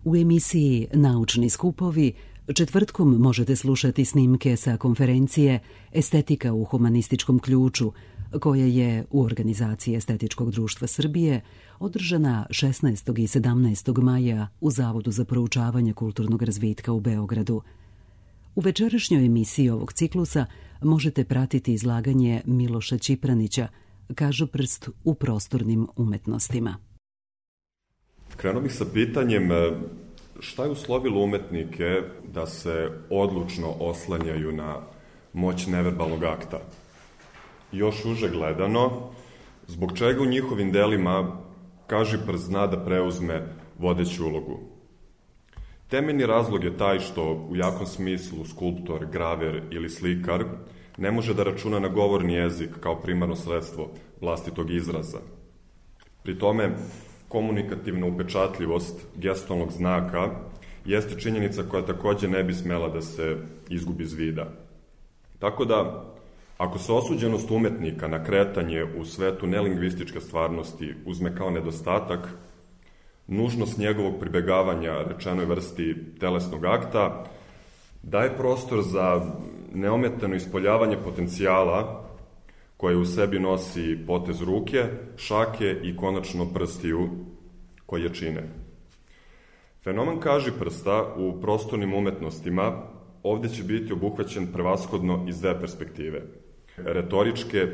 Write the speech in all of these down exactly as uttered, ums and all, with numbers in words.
U emisiji Naučni skupovi četvrtkom možete slušati snimke sa konferencije Estetika u humanističkom ključu, koja je u organizaciji Estetičkog društva Srbije održana šesnaestog i sedamnaestog maja u Zavodu za proučavanje kulturnog razvitka u Beogradu. U večerašnjoj emisiji ovog ciklusa možete pratiti izlaganje Miloša Ćipranića, Kažoprst u prostornim umetnostima. Krenuo bih sa pitanjem šta je uslovilo umetnike da se odlučno oslanjaju na moć neverbalnog akta. Još uže gledano, zbog čega u njihovim delima Kažiprst zna da preuzme vodeću ulogu. Temeljni razlog je taj što u jakom smislu skulptor, graver ili slikar ne može da računa na govorni jezik kao primarno sredstvo vlastitog izraza. Pri tome, komunikativna upečatljivost gestalnog znaka jeste činjenica koja takođe ne bi smela da se izgubi iz vida. Tako da, ako se osuđenost umetnika na kretanje u svetu nelingvističke stvarnosti uzme kao nedostatak, nužnost njegovog pribegavanja rečenoj vrsti telesnog akta daje prostor za neometano ispoljavanje potencijala koje u sebi nosi potez ruke, šake i konačno prstiju koje je čine. Fenomen Kažiprsta u prostornim umetnostima ovde će biti obuhvaćen prevashodno iz dve perspektive, retoričke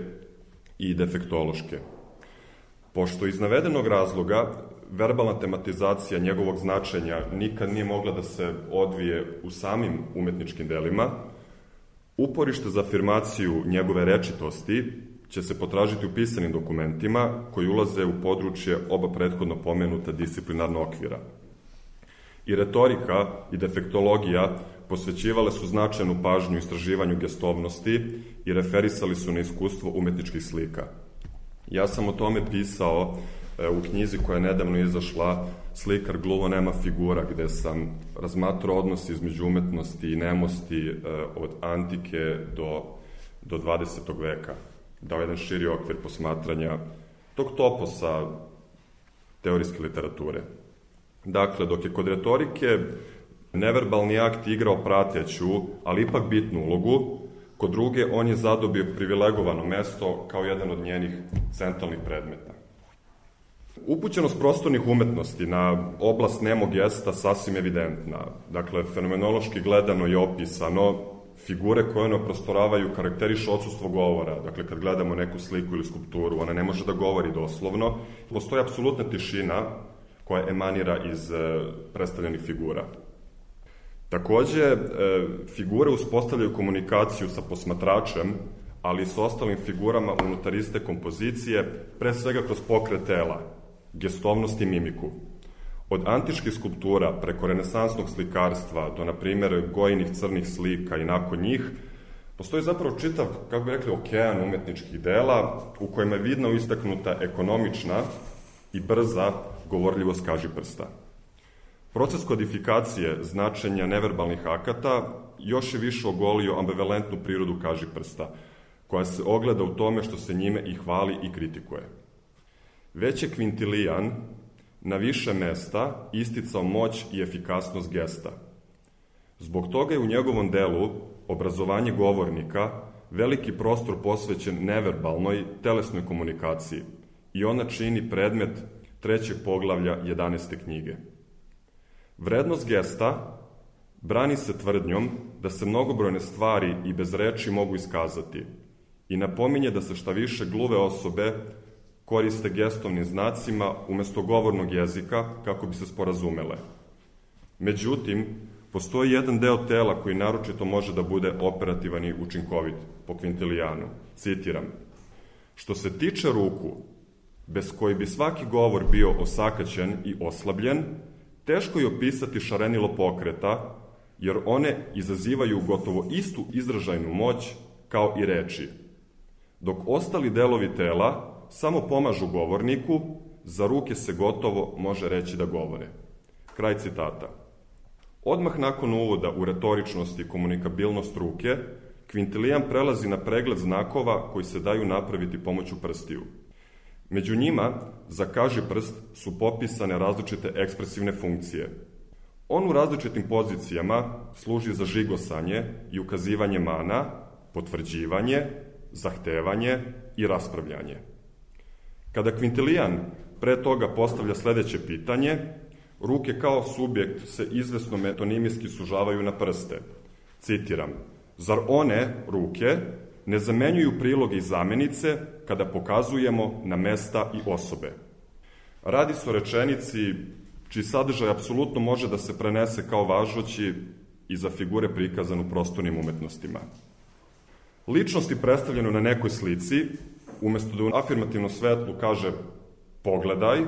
i defektološke. Pošto iz navedenog razloga verbalna tematizacija njegovog značenja nikad nije mogla da se odvije u samim umetničkim delima, uporište za afirmaciju njegove rečitosti će se potražiti u pisanim dokumentima koji ulaze u područje oba prethodno pomenuta disciplinarna okvira. I retorika i defektologija posvećivale su značajnu pažnju istraživanju gestovnosti i referisali su na iskustvo umetničkih slika. Ja sam o tome pisao u knjizi koja je nedavno izašla Slikar gluvo nema figura, gde sam razmatrao odnos između umetnosti i nemosti od antike do, do dvadesetog veka. Dao jedan širi okvir posmatranja tog toposa teorijske literature. Dakle, dok je kod retorike neverbalni akt igrao prateću, ali ipak bitnu ulogu, kod druge on je zadobio privilegovano mesto kao jedan od njenih centralnih predmeta. Upućenost prostornih umetnosti na oblast nemog gesta sasvim evidentna. Dakle, fenomenološki gledano je opisano figure koje ono prostoravaju karakterišu odsustvo govora. Dakle, kad gledamo neku sliku ili skulpturu, ona ne može da govori doslovno. Postoji apsolutna tišina koja emanira iz predstavljenih figura. Takođe, figure uspostavljaju komunikaciju sa posmatračem, ali i sa ostalim figurama unutar iste kompozicije, pre svega kroz pokret tela, gestovnost i mimiku. Od antičkih skulptura preko renesansnog slikarstva do, na primjer, Gojinih crnih slika i nakon njih, postoji zapravo čitav, kako bi rekli, okean umetničkih dela u kojima je vidno istaknuta ekonomična i brza govorljivost Kažiprsta. Proces kodifikacije značenja neverbalnih akata još je više ogolio ambivalentnu prirodu Kažiprsta, koja se ogleda u tome što se njime i hvali i kritikuje. Već je Kvintilijan na više mesta isticao moć i efikasnost gesta. Zbog toga je u njegovom delu obrazovanje govornika veliki prostor posvećen neverbalnoj telesnoj komunikaciji i ona čini predmet trećeg poglavlja jedanaeste knjige. Vrednost gesta brani se tvrdnjom da se mnogobrojne stvari i bez reči mogu iskazati i napominje da se šta više gluve osobe koriste gestovnim znacima umesto govornog jezika kako bi se sporazumele. Međutim, postoji jedan deo tela koji naročito može da bude operativan i učinkovit po Kvintilianu. Citiram: što se tiče ruku, bez koji bi svaki govor bio osakaćen i oslabljen, teško je opisati šarenilo pokreta, jer one izazivaju gotovo istu izražajnu moć kao i reči, dok ostali delovi tela samo pomažu govorniku, za ruke se gotovo može reći da govore. Kraj citata. Odmah nakon uvoda u retoričnost i komunikabilnost ruke, Kvintilijan prelazi na pregled znakova koji se daju napraviti pomoću prstiju. Među njima, za Kažiprst su popisane različite ekspresivne funkcije. On u različitim pozicijama služi za žigosanje i ukazivanje mana, potvrđivanje, zahtevanje i raspravljanje. Kada Kvintilijan pre toga postavlja sledeće pitanje, ruke kao subjekt se izvesno metonimijski sužavaju na prste. Citiram, zar one, ruke, ne zamenjuju priloge i zamenice kada pokazujemo na mesta i osobe? Radi se o rečenici čiji sadržaj apsolutno može da se prenese kao važući i za figure prikazane u prostornim umetnostima. Ličnosti predstavljene na nekoj slici, umesto da u afirmativnom svetlu kaže pogledaj,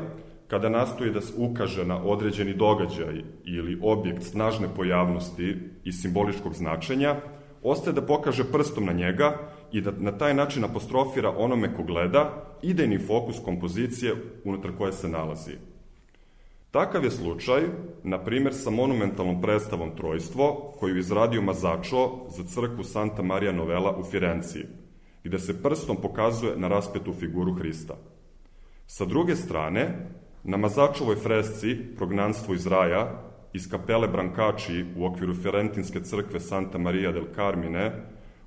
kada nastoji da se ukaže na određeni događaj ili objekt snažne pojavnosti i simboličkog značenja, ostaje da pokaže prstom na njega i da na taj način apostrofira onome ko gleda idejni fokus kompozicije unutar koje se nalazi. Takav je slučaj, na primjer, sa monumentalnom predstavom Trojstvo, koju je izradio Mazzaccio za crkvu Santa Maria Novella u Firenciji, gde se prstom pokazuje na raspetu figuru Hrista. Sa druge strane, na Mazzacciovoj fresci Prognanstvo iz raja iz kapele Brancači u okviru Fiorentinske crkve Santa Maria del Carmine,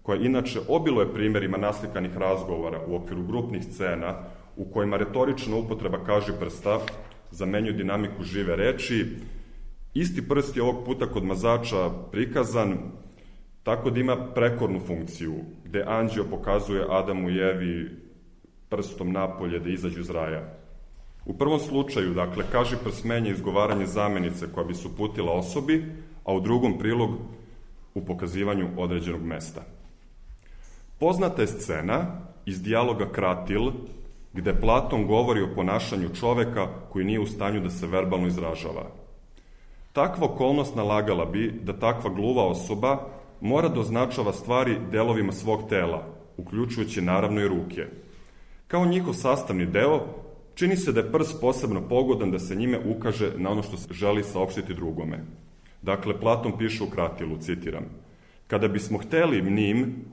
koja inače obiluje primjerima naslikanih razgovora u okviru grupnih scena u kojima retorična upotreba kažiprsta zamenjuju dinamiku žive reči, isti prst je ovog puta kod Mazzaccia prikazan tako da ima prekornu funkciju, gde anđeo pokazuje Adamu i Evi prstom napolje da izađu iz raja. U prvom slučaju, dakle, kažiprst menja izgovaranje zamenice koja bi se uputila osobi, a u drugom prilog u pokazivanju određenog mesta. Poznata je scena iz dijaloga Kratil, gde Platon govori o ponašanju čoveka koji nije u stanju da se verbalno izražava. Takva okolnost nalagala bi da takva gluva osoba mora da označava stvari delovima svog tela, uključujući naravno i ruke. Kao njihov sastavni deo, čini se da je prst posebno pogodan da se njime ukaže na ono što se želi saopštiti drugome. Dakle, Platon piše u Kratilu, citiram, kada bismo hteli njim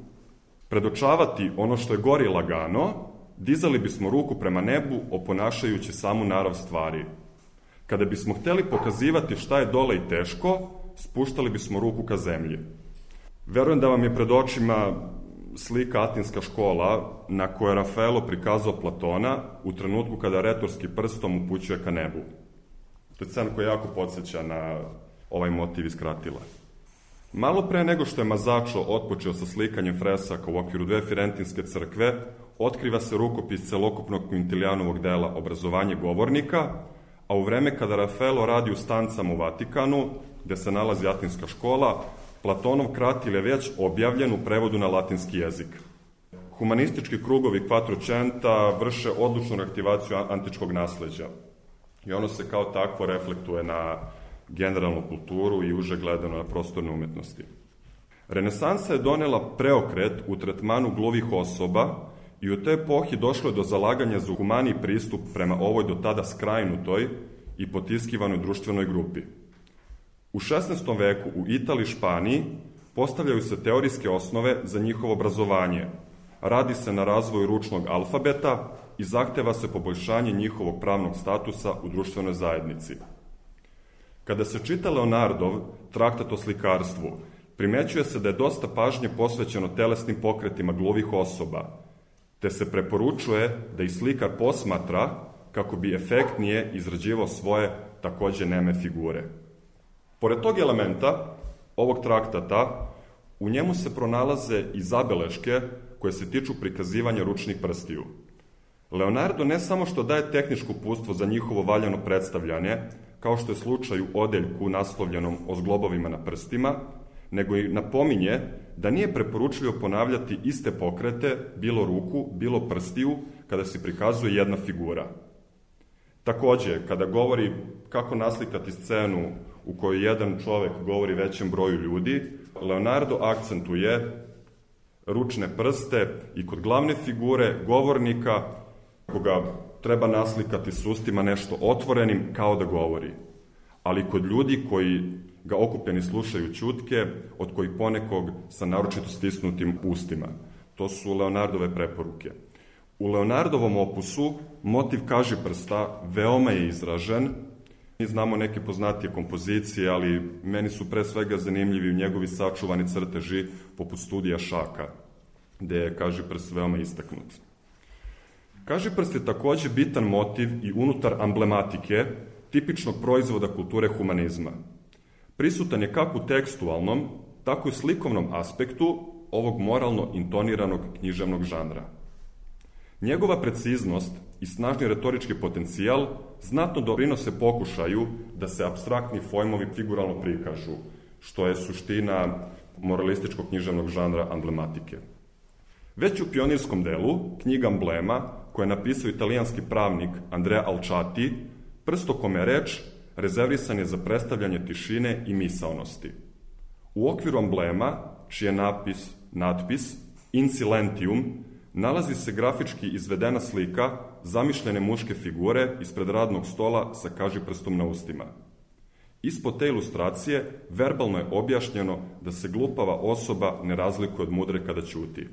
predočavati ono što je gori lagano, dizali bismo ruku prema nebu oponašajući samu narav stvari. Kada bismo hteli pokazivati šta je dole i teško, spuštali bismo ruku ka zemlji. Verujem da vam je pred očima slika Atinska škola na kojoj je Rafaelo prikazao Platona u trenutku kada retorski prstom upućuje ka nebu. To je scena koja jako podsjeća na ovaj motiv iz Kratila. Malo pre nego što je Mazzaccio otpočeo sa slikanjem fresaka u okviru dve Firentinske crkve, otkriva se rukopis celokupnog Quintilijanovog dela Obrazovanje govornika, a u vreme kada Rafaelo radi u stancama u Vatikanu, gde se nalazi Atinska škola, Platonov Kratil je već objavljen u prevodu na latinski jezik. Humanistički krugovi Quattrocenta vrše odlučnu reaktivaciju antičkog nasleđa i ono se kao takvo reflektuje na generalnu kulturu i uže gledano na prostorne umetnosti. Renesansa je donela preokret u tretmanu gluvih osoba i u toj epohi došlo je do zalaganja za humaniji pristup prema ovoj do tada skrajnutoj i potiskivanoj društvenoj grupi. U šesnaestom veku u Italiji i Španiji postavljaju se teorijske osnove za njihovo obrazovanje. Radi se na razvoju ručnog alfabeta i zahteva se poboljšanje njihovog pravnog statusa u društvenoj zajednici. Kada se čita Leonardov traktat o slikarstvu, primećuje se da je dosta pažnje posvećeno telesnim pokretima gluvih osoba, te se preporučuje da i slikar posmatra kako bi efektnije izrađivao svoje takođe neme figure. Pored tog elementa, ovog traktata, u njemu se pronalaze i zabeleške koje se tiču prikazivanja ručnih prstiju. Leonardo ne samo što daje tehničko uputstvo za njihovo valjano predstavljanje, kao što je slučaj u odeljku naslovljenom o zglobovima na prstima, nego i napominje da nije preporučljivo ponavljati iste pokrete, bilo ruku, bilo prstiju, kada se prikazuje jedna figura. Takođe, kada govori kako naslikati scenu u kojoj jedan čovek govori većem broju ljudi, Leonardo akcentuje ručne prste i kod glavne figure, govornika, koga treba naslikati s ustima nešto otvorenim kao da govori. Ali kod ljudi koji ga okupljeni slušaju ćutke, od kojih ponekog sa naročito stisnutim ustima. To su Leonardove preporuke. U Leonardovom opusu motiv kažiprsta veoma je izražen, Mi znamo neke poznatije kompozicije, ali meni su pre svega zanimljivi njegovi sačuvani crteži poput studija Šaka, gde je Kažiprst veoma istaknut. Kažiprst je takođe bitan motiv i unutar amblematike tipičnog proizvoda kulture humanizma. Prisutan je kako u tekstualnom, tako i slikovnom aspektu ovog moralno intoniranog književnog žanra. Njegova preciznost i snažni retorički potencijal znatno doprinose pokušaju da se apstraktni pojmovi figuralno prikažu, što je suština moralističkog književnog žanra amblematike. Već u pionirskom delu, knjiga Amblema, koju je napisao italijanski pravnik Andrea Alciati, prstokome reč rezervisan je za predstavljanje tišine i misaonosti. U okviru Amblema, čiji je napis, natpis In Silentium, nalazi se grafički izvedena slika zamišljene muške figure ispred radnog stola sa kažiprstom na ustima. Ispod te ilustracije verbalno je objašnjeno da se glupava osoba ne razlikuje od mudre kada ćuti.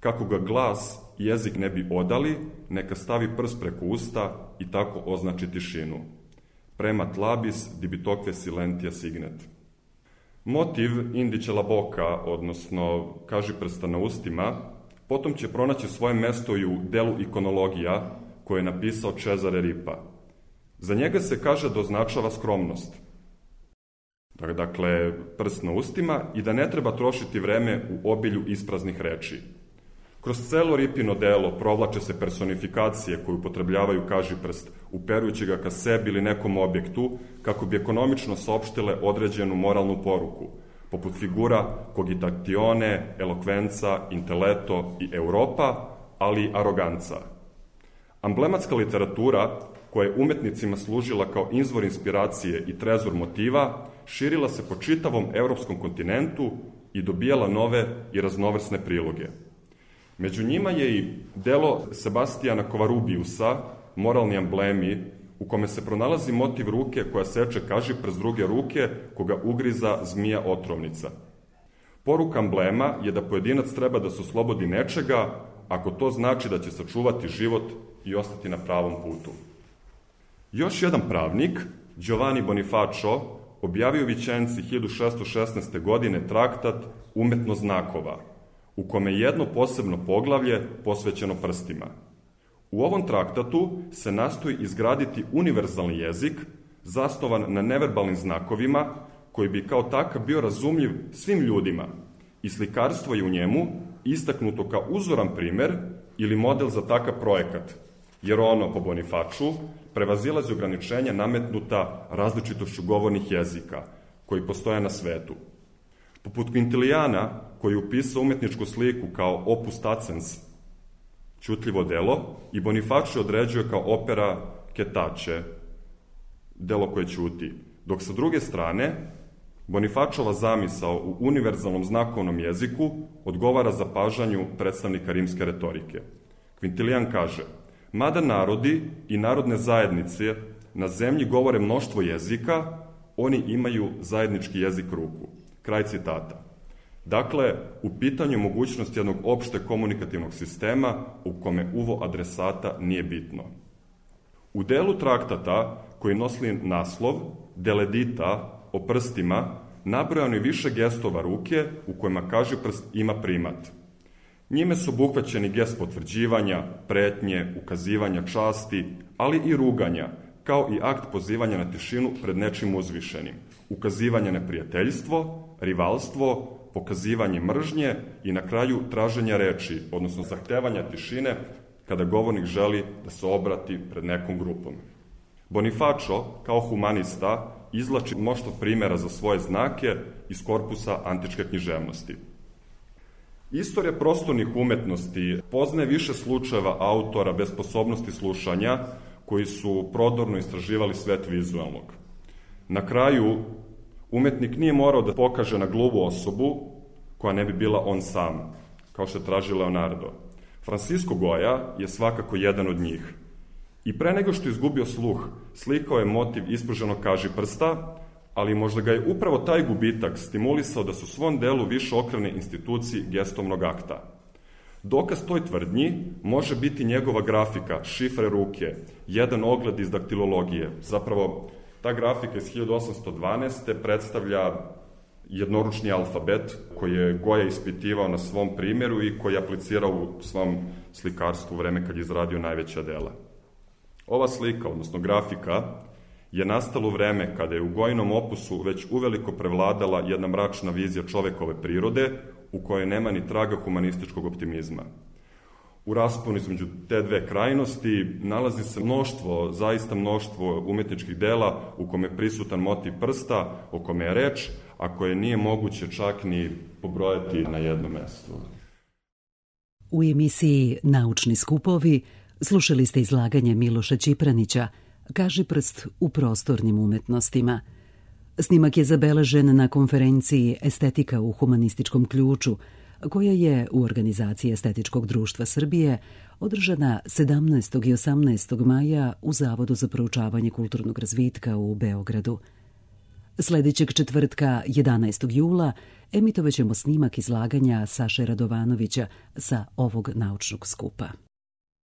Kako ga glas i jezik ne bi odali, neka stavi prst preko usta i tako označi tišinu. Premat labis dibitokve silentia signet. Motiv indice la boca, odnosno kažiprsta na ustima, potom će pronaći svoje mesto i u delu ikonologija koje je napisao Cesare Ripa. Za njega se kaže da označava skromnost. Dakle, prst na ustima i da ne treba trošiti vreme u obilju ispraznih reči. Kroz celo Ripino delo provlače se personifikacije koje upotrebljavaju kažiprst, uperujući ga ka sebi ili nekom objektu, kako bi ekonomično saopštile određenu moralnu poruku, poput figura cogitatione, elokvenca, intelletto i Europa, ali i aroganca. Amblematska literatura, koja je umetnicima služila kao izvor inspiracije i trezor motiva, širila se po čitavom evropskom kontinentu i dobijala nove i raznovrsne priloge. Među njima je i delo Sebastijana Kovarubiusa, Moralni amblemi, u kome se pronalazi motiv ruke koja seče kažiprst druge ruke, koga ugriza zmija otrovnica. Poruka amblema je da pojedinac treba da se oslobodi nečega, ako to znači da će sačuvati život i ostati na pravom putu. Još jedan pravnik, Giovanni Bonifacio, objavio u Vičenci hiljadu šesto šesnaeste. godine traktat Umetno znakova, u kome je jedno posebno poglavlje posvećeno prstima. U ovom traktatu se nastoji izgraditi univerzalni jezik, zasnovan na neverbalnim znakovima, koji bi kao takav bio razumljiv svim ljudima, i slikarstvo je u njemu istaknuto kao uzoran primer ili model za takav projekat, jer ono, po Bonifaču, prevazilazi ograničenja nametnuta različitošću govornih jezika, koji postoje na svetu. Poput Quintiliana, koji je upisao umetničku sliku kao opus tacens, ćutljivo delo, i Bonifacio određuje kao opera ketače, delo koje ćuti, dok sa druge strane Bonifačova zamisao u univerzalnom znakovnom jeziku odgovara zapažanju predstavnika rimske retorike. Quintilian kaže: mada narodi i narodne zajednice na zemlji govore mnoštvo jezika, oni imaju zajednički jezik ruku. Kraj citata. Dakle, u pitanju mogućnosti jednog opšte komunikativnog sistema u kome uvo adresata nije bitno. U delu traktata koji nosi naslov Deledita o prstima nabrojano je više gestova ruke u kojima kažiprst ima primat. Njime su obuhvaćeni gest potvrđivanja, pretnje, ukazivanja časti, ali i ruganja, kao i akt pozivanja na tišinu pred nečim uzvišenim, ukazivanje na prijateljstvo, rivalstvo, pokazivanje mržnje i na kraju traženja reči, odnosno zahtevanja tišine kada govornik želi da se obrati pred nekom grupom. Bonifacio, kao humanista, izvlači mnoštvo primera za svoje znake iz korpusa antičke književnosti. Istorija prostornih umetnosti poznaje više slučajeva autora bez sposobnosti slušanja koji su prodorno istraživali svet vizualnog. Na kraju, umetnik nije morao da pokaže na gluvu osobu koja ne bi bila on sam, kao što je traži Leonardo. Francisco Goya je svakako jedan od njih. I pre nego što je izgubio sluh, slikao je motiv ispruženog kažiprsta, ali možda ga je upravo taj gubitak stimulisao da su svom delu više okrene instituciji gestovnog akta. Dokaz toj tvrdnji može biti njegova grafika, šifre ruke, jedan ogled iz daktilologije. Zapravo, ta grafika iz hiljadu osamsto dvanaeste. predstavlja jednoručni alfabet koji je Goja ispitivao na svom primjeru i koji je aplicirao u svom slikarstvu u vreme kad je izradio najveća dela. Ova slika, odnosno grafika, je nastala u vreme kada je u Gojinom opusu već uveliko prevladala jedna mračna vizija čovekove prirode u kojoj nema ni traga humanističkog optimizma. U rasponu između te dve krajnosti nalazi se mnoštvo, zaista mnoštvo umetničkih dela u kome je prisutan motiv prsta, o kome je reč, a koje nije moguće čak ni pobrojati na jednom mestu. U emisiji Naučni skupovi slušali ste izlaganje Miloša Ćipranića Kaži prst u prostornim umetnostima. Snimak je zabeležen na konferenciji Estetika u humanističkom ključu, koja je u organizaciji Estetičkog društva Srbije održana sedamnaestog i osamnaestog maja u Zavodu za proučavanje kulturnog razvitka u Beogradu. Sledećeg četvrtka, jedanaestog jula, emitovaćemo snimak izlaganja Saše Radovanovića sa ovog naučnog skupa.